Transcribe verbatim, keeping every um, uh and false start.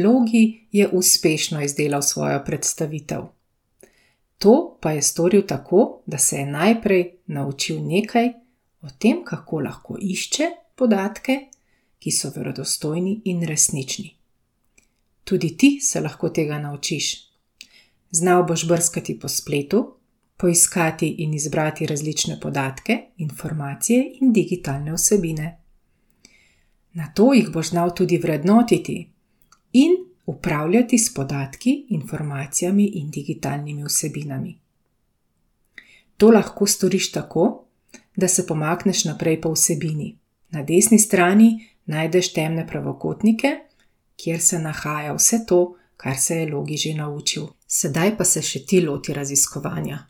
Logi je uspešno izdelal svojo predstavitev. To pa je storil tako, da se je najprej naučil nekaj o tem, kako lahko išče podatke, ki so verodostojni in resnični. Tudi ti se lahko tega naučiš. Znal boš brskati po spletu, poiskati in izbrati različne podatke, informacije in digitalne vsebine. Nato jih boš znal tudi vrednotiti in upravljati s podatki, informacijami in digitalnimi vsebinami. To lahko storiš tako, da se pomakneš naprej po vsebini. Na desni strani najdeš temne pravokotnike, kjer se nahaja vse to, kar se je Logi že naučil. Sedaj pa se še ti loti raziskovanja.